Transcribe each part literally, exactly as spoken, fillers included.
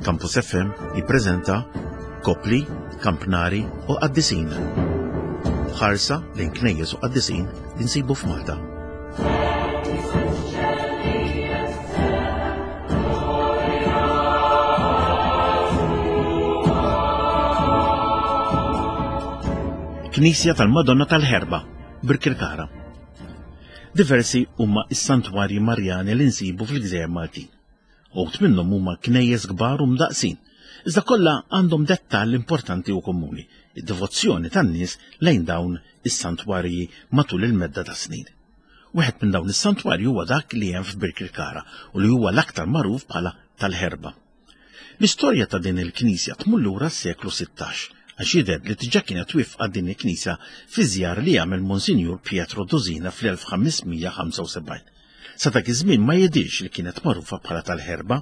Campus F M jippreżenta Kopli, Kampnari u Qaddisin. Ħarsa lejn knejjes u qaddisin li nsibu f'Malta. Knisja tal-Madonna tal-Ħerba, Birkirkara. Diversi huma s-santwarji Marjani li nsibu fil-Gżejjer Maltin. Uħud minnhom huma knejjes kbar u mdaqsin, iżda kollha għandhom dettall importanti u komuni, id-devozzjoni tan-nies lejn dawn is-santwarji matul il-medda ta' snin. Wieħed minn dawn is-santwarji huwa dak li hemm f'Birkirkara u li huwa l-aktar magħruf bħala tal-Ħerba. L-istorja ta' din il-knisja tmur lura s-seklu sittax, għax jidher li diġà kienet wifqa din il-knisja fi żjar li għamel Monsinjur Pietro Dosina fl-elf ħamesmija ħamsa u sebgħin. Sa dak iż-żmien ma jidhirx li kienet magħrufa bħala tal-Ħerba.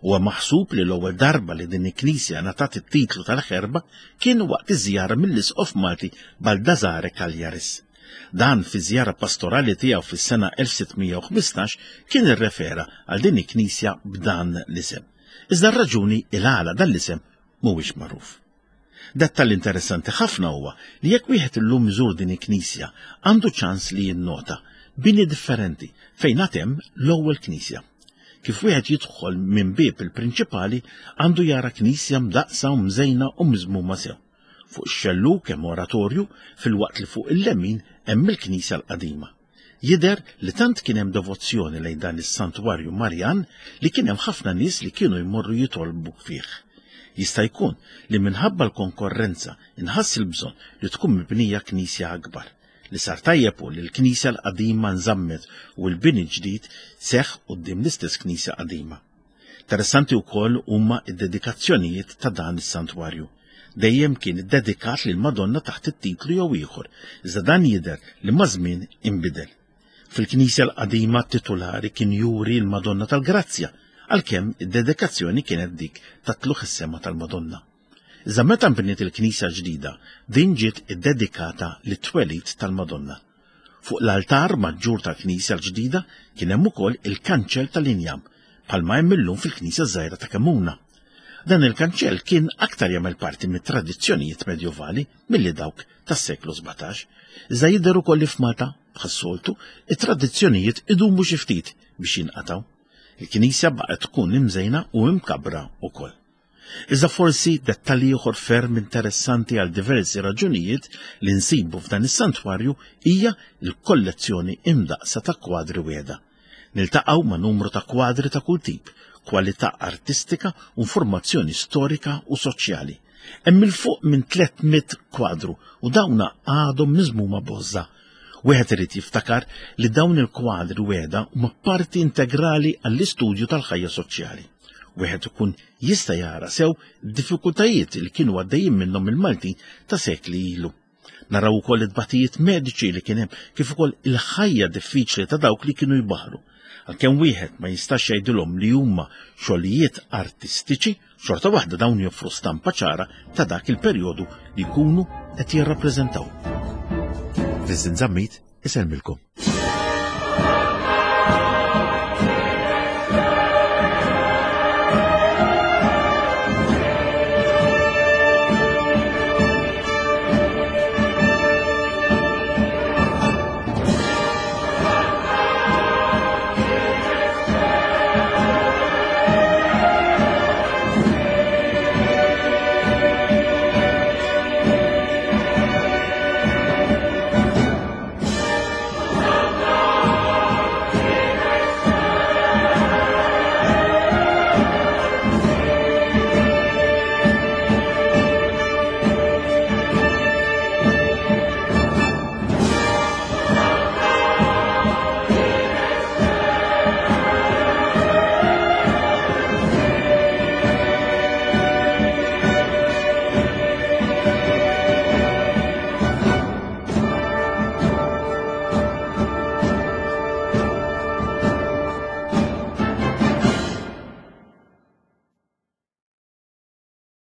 Huwa maħsub li l-ewwel darba li din il-knisja ngħatat it-titlu tal-Ħerba kien waqt iż-żjara mill-Isqof Malti Baldassare Cagliaris. Dan fi żjara pastorali tiegħu fis-sena elf sittmija u ħmistax kien irrefera għal din il-knisja b'dan l-isem. Iżda r-raġuni il-għala dan l-isem mhuwiex magħruf. Dettall interessanti ħafna huwa li jekk wieħed illum iżur din il-knisja għandu ċans li jinnota bini differenti fejn għad hemm l-ewwel knisja. Kif wieħed jidħol minn bieb il-prinċipali għandu jara knisja mdaqsa u mżejna u miżmuma sew. Fuq ix-xellug hemm oratorju filwaqt li fuq il-lemin hemm il-knisja l-qadima. Jidher li tant kien hemm devozzjoni lejn dan is-santwarju Marjan li kien hemm ħafna nies li kienu jmorru jitolbu fih. Jista' jkun li minħabba l-konkorrenza inħass il-bżonn li tkun mibnija knisja akbar. Li sar tajjeb hu li l-knisja l-qadima nżammet u l-bini ġdid seħħ quddiem l-istess knisja qadima. Interessanti wkoll huma d-dedikazzjonijiet ta' dan is-santwarju. Dejjem kien iddedikat lil Madonna taħt it-titlu jew ieħor, iżda dan jidher li maż-żmien inbidel. Fil-knisja l-qadima titulari kien juri l-Madonna tal-Grazzja, għalkemm id-dedikazzjoni kienet dik ta' tlugħ is-sema tal-Madonna. Iżda meta nbniet il-knisja ġdida, din ġiet iddedikata lit-twelid tal-Madonna. Fuq l-altar maġġur tal-knisja l-ġdida kien hemm ukoll il-kanċell tal-injam, bħalma hemm illum fil-knisja żgħira ta' Kemmuna. Dan il-kanċell kien aktar jagħmel parti mit-tradizzjonijiet medjuvali milli dawk tas-seklu sbatax. Iżda jidher ukoll li f'Malta, bħas-soltu, it-tradizzjonijiet idumu xi ftit biex jinqatgħu. Il-knisja baqgħet tkun imżejna u imkabbra wkoll. Iżda forsi dettalji ieħor ferm interessanti għal diversi raġunijiet li nsibu f'dan is-santwarju hija l-kollezzjoni imdaqsa ta' kwadri wiegħda. Niltaqgħu ma' numru ta' kwadri ta' kull tip, kwalità artistika u informazzjoni storika u soċjali. Hemm il fuq minn tliet mitt kwadru u dawna għadhom miżmuma bożża. Wieħed irid jiftakar li dawn il-kwadri wiegħda huma parti integrali għall-istudju tal-ħajja soċjali. Wieħed ikun jista' jara sew d-diffikultajiet li kienu għaddejjin minnhom il-Maltin ta' sekli ilu. Naraw ukoll it-tbatijiet mediċi li kien hemm kif ukoll il-ħajja diffiċli ta' dawk li kienu jbaħru. Għalkemm wieħed ma jistax jgħidilhom li huma xogħlijiet artistiċi, xorta waħda dawn joffru stampa ċara ta' dak il-perjodu li jkunu qed jirrappreżentaw. Vincent Zammit isellmilkom.